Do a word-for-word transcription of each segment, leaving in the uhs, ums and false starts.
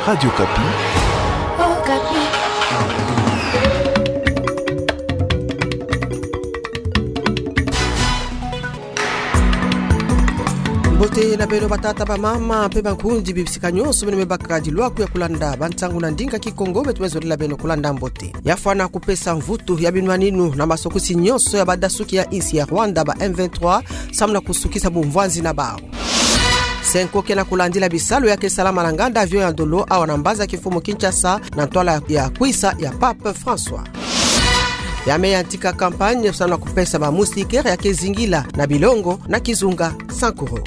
Radio Okapi. Okapi. Mbote na beno batata, bamama, mpe bankundi, bibisika nyonso beno me baka dilwaku ya kulanda bansangu na ndinga Kikongo, beto me zolila beno kulanda mbote. Ya fwana kupesa mvutu ya binwaninu na masokisi nyonso ya badasuki ya insi ya Rwanda, ba M vingt-trois, samu na kusukisa bumvwanzi na bau. Cenco ke na kulandila bisalu ya ke salama na nganda avion ya ndolo awa na mbanza kimfumu Kinshasa, na ntwala ya kwisa ya Pape François. Ya me yantika campagne samu na kupesa ba moustiquaire ya ke zingila na bilongo na kizunga Sankuru.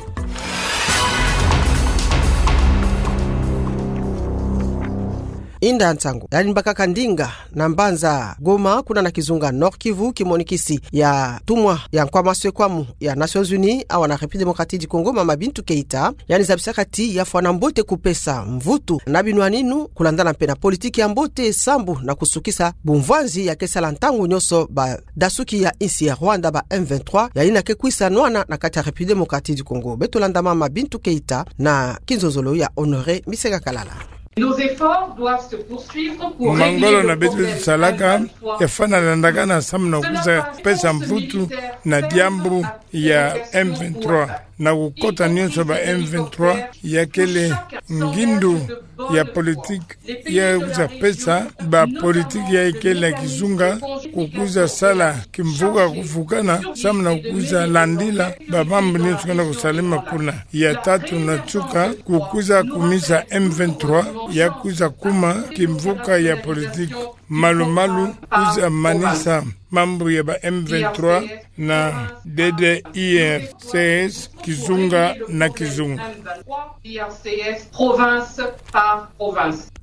Inda nsangu, yandi mbakaka ndinga na mbanza Goma, kuna na kizunga Nord-Kivu, kimonikisi ya ntumwa ya Nkwama Sekwamu ya Nations Unies awa na République Démocratique du Congo, Mama Bintou Keita, yandi zabisaka ti ya fwana mbote kupesa mvutu na binwaninu, kulandana mpe na politiki ya mbote, sambu na kusukisa bumvwanzi ya ke sala ntangu nyonso badasuki ya insi ya Rwanda, ba M vingt-trois, yayina ke kwisa nwana na kati ya République Démocratique du Congo. Beto landa Mama Bintou Keita na kinzonzolo ya Honoré Misenga Kalala. Nos efforts doivent se poursuivre pour régler le problème M vingt-trois. Mangolo na beto salaka ya fwana landakana samu na kwiza pesa mvutu na diambu ya M vingt-trois, na kukota nyonso ba M vingt-trois ya kele ngindu ya politiki ya kwiza pesa ba politiki ya kele na kizunga, kukwiza sala kimvuka kuvukana, samu na kukwiza landila ba mambu nyonso ke na kusalama kuna. Ya tatu na nsuka, kukwiza kumisa M vingt-trois ya kwiza kuma kimvuka ya politiki. Malu-malu, kwiza manisa mambu ya ba M vingt-trois na D D I R C S, kizunga na kizunga.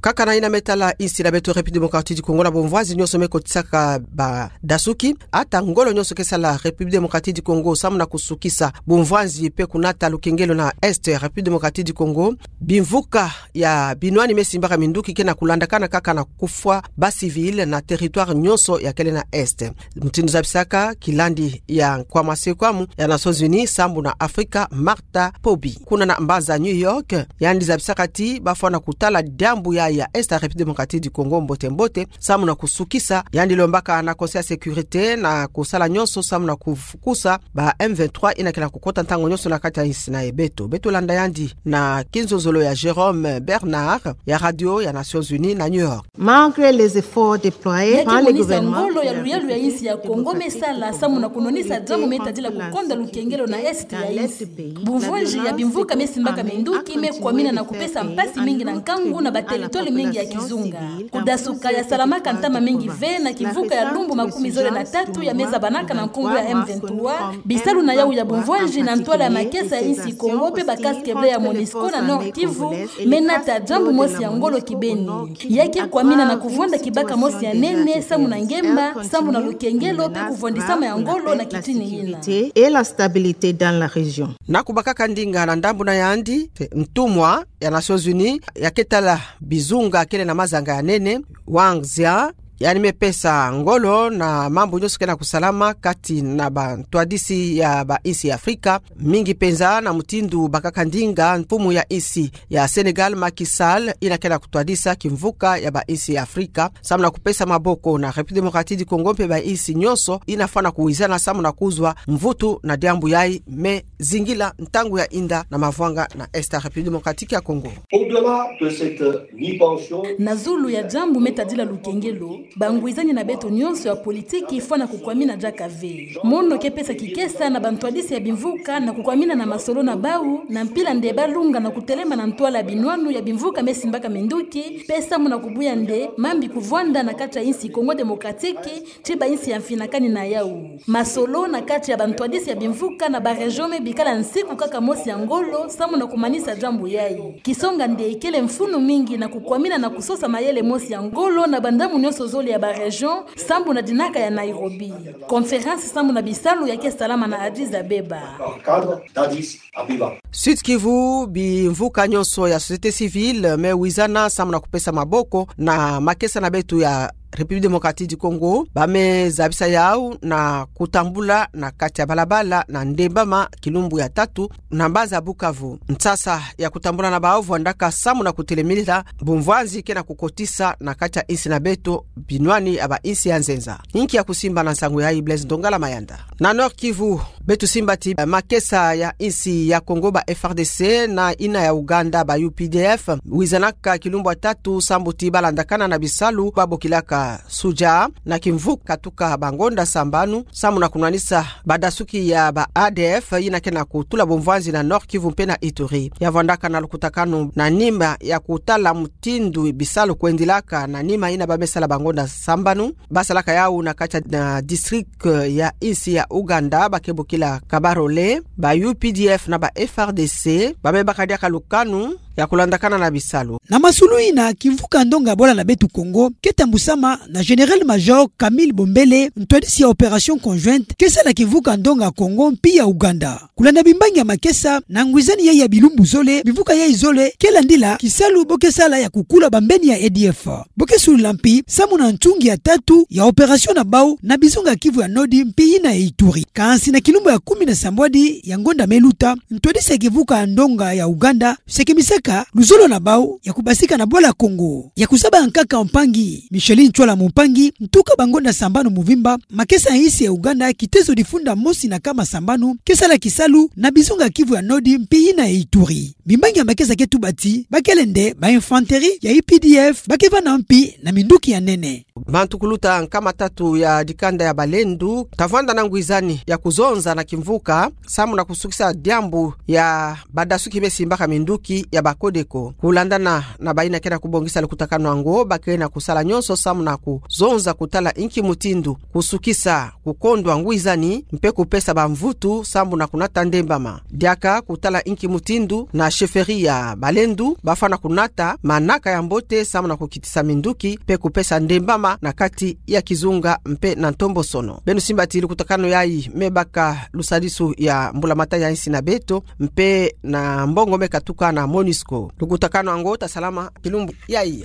Kaka na yina me tala insi na beto République Démocratique du Congo na bumvwanzi nyonso me kotisaka badasuki, ata ngolo nyonso ke sala République Démocratique du Congo samu na kusukisa bumvwanzi mpe kunata lukengelo na Est République Démocratique du Congo, bimvuka ya binwani me simbaka minduki ke na kulandakana kaka na kufwa ba civil na territoire nyonso ya kele na Est. Mutindu zabisaka kilandi ya Nkwama Sekwamu ya Nations Unies sambu na Afrika, Martha Pobi, kuna na mbanza New York, yandi zabisaka ti ba fwana kutala diambu ya, ya Est ya République Démocratique du Congo mbote-mbote, samu na kusukisa. Yandi lombaka na Conseil ya Sécurité na kusala nyonso samu na kufukusa ba M vingt-trois yina ke na kukota ntangu nyonso na kati ya insi na ye. Beto, beto landa yandi na kinzonzolo ya Jérôme Bernard ya radio ya Nations Unies na New York. Malgré les efforts déployés par le gouvernement, ya ke monisa ngolo ya luyalu ya insi ya Congo me sala samu na kunwanisa diambu me tadila kukonda lukengelo na Est ya insi, bumvwanzi ya bimvuka me simbaka minduki me kwamina na kupesa mpasi mingi na nkangu na ba territoire mingi ya kizunga. Kudasuka ya salamaka ntama mingi ve na kimvuka ya lumbu makumi zole na tatu ya me zabanaka na nkungu ya M vingt-trois, bisalu na yau ya bumvwanzi na ntwala ya makesa ya insi Congo mpe ba casques bleus ya MONUSCO na Nord-Kivu me nata diambu mosi ya ngolo kibeni. Ya ke kwamina na kuvwanda kibaka mosi ya nene samu na ngemba, samu na lukengelo mpe kuvwandisama ya ngolo na kitini yina. Et la stabilité dans la région. Na kubakaka ndinga na ndambu na yandi, ntumwa ya Nations Unies ya ke tala bizunga kele na mazanga ya nene, Wang Xian, yandi me pesa ngolo na mambu nyonso ke na kusalama kati na bantwadisi ya ba insi ya Afrika, mingi penza na mutindu bakaka ndinga mfumu ya insi ya Sénégal, Macky Sall, yina ke na kutwadisa kimvuka ya ba insi ya Afrika samu na kupesa maboko na République Démocratique du Congo mpe ba insi nyonso yina fwana kuwizana samu na kuzwa mvutu na diambu yayi me zingila ntangu ya inda na mavwanga na Est ya République Démocratique ya Congo. Au-delà de cette mi-pension, na zulu ya diambu me tadila lukengelo, bangwizani na beto nyonso ya politiki fwana kukwamina diaka ve. Mono ke pesa kikesa na bantwadisi ya bimvuka na kukwamina na masolo na bau, na mpila nde balunga na kutelema na ntwala ya binwanu ya bimvuka me simbaka minduki, mpe samu na kubuya nde mambi kuvwanda na kati ya insi Congo Démocratique, ti ba insi ya mfinakani na yau. Masolo na kati ya bantwadisi ya bimvuka na ba région me bikala nsiku kaka mosi ya ngolo, samu na kumanisa diambu yayi. Kisonga nde kele mfunu mingi na kukwamina na kusosa mayele mosi ya ngolo na bandamu nyonso zole ya ba région, sambu na dinaka ya Nairobi. Conférence sambu na bisalu ya ke salama na Addis Abeba. Cadre d'Addis Abeba. Sud-Kivu, bimvuka nyonso ya société civile me wizana samu na kupesa maboko na makesa na beto ya République Démocratique du Congo, ba me zabisa yau na kutambula na kati ya balabala na Ndembama kilumbu ya tatu na mbanza Bukavu. Nsasa ya kutambula na bau vwandaka samu na kutelemilila bumvwanzi ke na kukotisa na kati ya insi na beto binwani ya ba insi ya nzenza. Inki ya kusimba na nsangu yayi, Blaise Ndongala Mayanda. Na Nord-Kivu, beto simba ti, eh, makesa ya insi ya Congo, ba F R D C, na ina ya Ouganda, ba U P D F, wizanaka kilumbu ya tatu sambu ti balandakana na bisalu babokilaka Sudja, na kimvuka katuka bangonda sambanu, samu na kunwanisa badasuki ya ba A D F yina ke na kutula bumvwanzi na Nord-Kivu mpe na Ituri. Ya vwandaka na lukutakanu na nima ya kutala mutindu bisalu kwendilaka na nima yina ba me sala bangonda sambanu, basalaka yau na kati ya, na district ya insi ya Ouganda, ba ke bokila Kabarole, ba U P D F na ba F R D C, ba me baka diaka lukanu ya kulandakana na bisalu. Na masulu yina, kimvuka ndonga bwala na beto Congo ke tambusama na Général-Major Camille Bombele, ntwadisi ya opération conjointe ke sala kimvuka ndonga Congo mpi ya Ouganda. Kulanda bimbangi ya makesa, na ngwizani yayi ya bilumbu zole, bimvuka yayi zole ke landila kisalu bo ke sala ya kukula bambeni ya A D F. Bo ke sulula mpi samu na ntungi ya tatu ya opération na bau na bizunga Kivu ya Nord mpi yina ya Ituri. Kansi na kilumbu ya kumi na sambwadi ya ngonda me luta, ntwadisi ya kimvuka ndonga ya Ouganda sekemisaka luzolo na bau ya kubasika na bwala Congo. Ya kuzaba nkaka mpangi Micheline Ntwala Mumpangi, ntuka bangonda sambanu muvimba, makesa ya insi ya Ouganda kitezo difunda mosi na nkama sambanu ke sala kisalu na bizunga Kivu ya Nord mpi yina ya Ituri. Bimbangi ya makesa ke tuba ti bakele nde ba infanterie ya U P D F ba ke vanda mpi na minduki ya nene. Bantu kuluta nkama tatu ya dikanda ya balendu ta vwanda na ngwizani ya kuzonza na kimvuka samu na kusukisa diambu ya badasuki me simbaka minduki ya ba Codeco. Kulandana na bayina ke na kubongisa lukutakanu yango, ba ke na kusala nyonso samu na kuzonza kutala inki mutindu kusukisa kukondwa ngwizani mpe kupesa bamvutu samu na kunata Ndembama. Diaka kutala inki mutindu na chefferie ya balendu ba fwana kunata manaka ya mbote samu na kukitisa minduki mpe kupesa Ndembama na kati ya kizunga mpe na ntombosono. Beno simba ti lukutakanu yayi me baka lusadisu ya mbulamatari ya insi na beto mpe na mbongo me katuka na MONUSCO. Lukutakanu yango ta salama kilumbu yayi.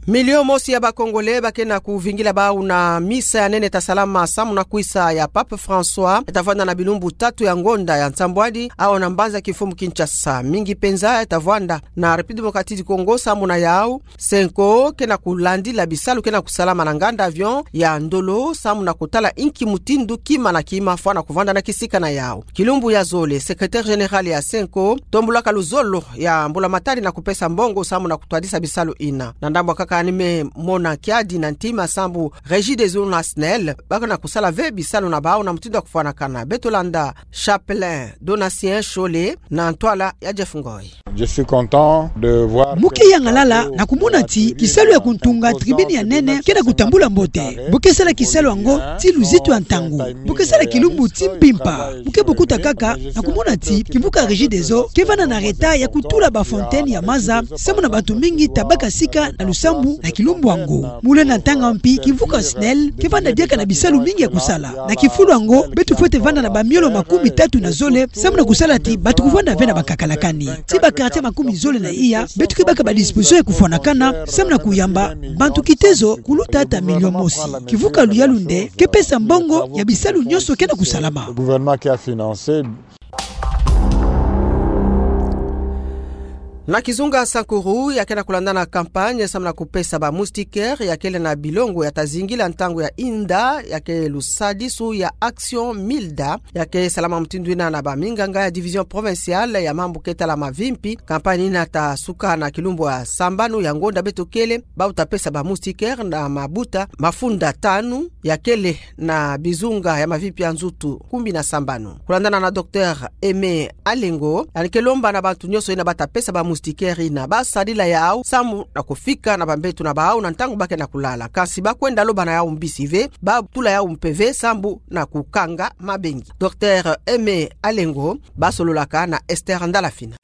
Milio mosi ya ba Congolais ba ke na kuvingila bau na misa ya nene ta salama samu na kwisa ya Pape François, ta vwanda na bilumbu tatu ya ngonda ya nsambwadi, awa na mbanza Kimfumu Kinshasa. Mingi penza ta vwanda na République Démocratique du Congo samu na yau Cenco ke na kulandila bisalu ke na kusalama na nganda avion ya Ndolo samu na kutala inki mutindu kima na kima fwana kuvanda na kisika na yau. Kilumbu ya zole, secrétaire général ya Cenco tombulaka luzolo ya mbulamatari na kupesa mbongo samu na kutwadisa bisalu yina. Na ndambu kaka ni me mona kiadi na ntima sambu Regideso na SNEL ba ke na kusala ve bisalu na bau na mutindu ya kufwanakana. Beto landa Chapelain Donatien Shole na ntwala ya Jeff Ngoy. Je suis content de voir. Mu ke yangalala na kumona ti kisalu ya kuntunga tribune ya nene ke na kutambula mbote. Bo ke sala kisalu yango ti luzitu ya ntangu. Bo ke sala kilumbu ti mpimpa. Mu ke bukuta kaka na kumona ti kimvuka Regideso ke vanda na retard ya kutula ba fontaine ya maza, samu na bantu mingi ta baka sika na lusambu na kilumbu yango. Mule na ntanga mpi, kimvuka SNEL ke vanda diaka na bisalu mingi ya kusala. Na kifulu yango, beto fwete vanda na bamiolo makumi tatu na zole, samu na kusala ti bantu kuvanda ve na bakakalakani. Ti ba quartier makumi zole na iya, beto ke baka ba disposition ya kufwanakana, samu na kuyamba bantu kitezo kuluta ata milio mosi. Kimvuka luyalu nde ke pesa mbongo ya bisalu nyonso ke na kusalama. Le gouvernement qui a financé. Na kizunga Sankuru, ya ke na kulandana campagne samu na kupesa ba moustiquaire ya kele na bilongo ya ta zingila ntangu ya inda, ya ke lusadisu ya Action Milda, ya ke salama mutindu yina na ba minganga ya division provinciale ya mambu ke tala mavimpi. Campagne yina ta suka na kilumbu ya sambanu ya ngonda beto kele, bau ta pesa ba moustiquaire na mabuta mafunda tanu ya kele na bizunga ya mavimpi ya nzutu kumi na sambanu. Kulandana na Docteur Aimé Alengo, yandi ke lomba na bantu nyonso yina ba ta pesa ba moustiquaire yina ba sadila yau samu na kufika na bambeto na bau na ntangu ba ke na kulala. Kansi ba kwenda loba na yau mbisi ve, ba tula yau mpeve sambu na kukanga mabengi. Docteur Aimé Alengo, ba sololaka na Esther Ndalafina.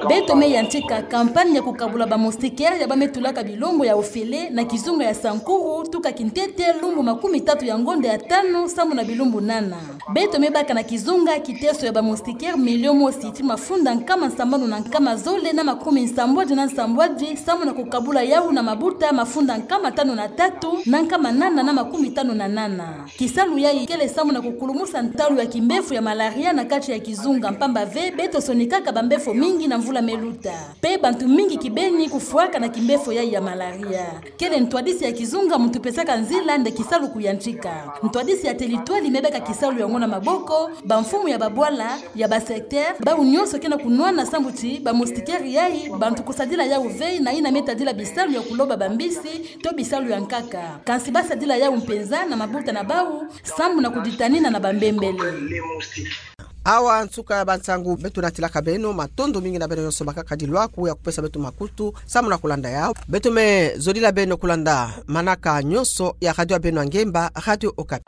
Beto me yantika campagne ya kukabula ba moustiquaire ya ba me tulaka bilongo ya ofele na kizunga ya Sankuru, tuka kintete lumbu makumi tatu ya ngonda ya tanu samu na bilumbu nana. Beto me baka na kizunga kiteso ya ba moustiquaire milio mosi ti mafunda nkama sambanu na nkama zole na makumi nsambwadi na nsambwadi, samu na kukabula yawu na mabuta mafunda nkama tanu na tatu, na nkama nana na makumi tanu na nana. Kisalu yayi kele samu na kukulumusa ntalu ya kimbefo ya malaria na kati ya kizunga, mpamba ve beto sonikaka bambefo mingi na mvula me luta. Pe bantu mingi kibeni kufwaka na kimbefo yayi ya malaria. Kele ntwadisi ya kizunga muntu pesaka nzila nde kisalu kuyantika. Ntwadisi ya telitwali me baka kisalu yango na maboko, bamfumu ya babwala, ya ba secteur, bawu nyonso ke na kunwana samu ti ba moustiquaire yayi, bantu kusadila yawu ve na yina me tadila bisalu ya kuloba bambisi, to bisalu ya nkaka. Kansi basadila yawu mpenza na mabuta na bawu, samu na kuditanina na bambembele. Awa nsuka ya bansangu beto natilaka beno, matondo mingi na beno nyonso makakadi lwaku ya kupesa beto makutu, samu na kulanda yawu. Beto me zodila beno kulanda manaka nyonso ya radio ya beno ya ngemba, Radio Okapi.